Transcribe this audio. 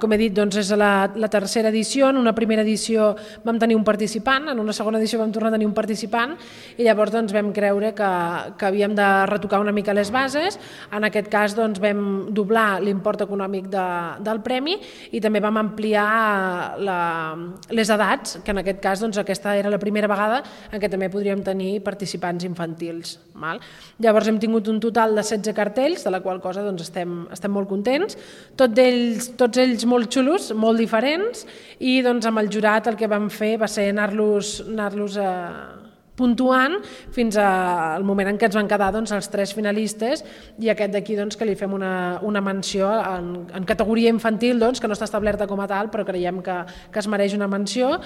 Com he dit, doncs és la tercera edició. En una primera edició vam tenir un participant, en una segona edició vam tornar a tenir un participant i llavors doncs, vam creure que havíem de retocar una mica les bases. En aquest cas doncs, vam doblar l'import econòmic del premi i també vam ampliar les edats, que en aquest cas doncs, aquesta era la primera vegada en què també podríem tenir participants infantils. Llavors hem tingut un total de 16 cartells, de la qual cosa doncs, estem molt contents, tots ells molt xulos, molt diferents, i doncs, amb el jurat el que vam fer va ser anar-los puntuant fins al moment en què ens van quedar doncs, els 3 finalistes i aquest d'aquí doncs, que li fem una menció en categoria infantil, doncs, que no està establerta com a tal, però creiem que es mereix una menció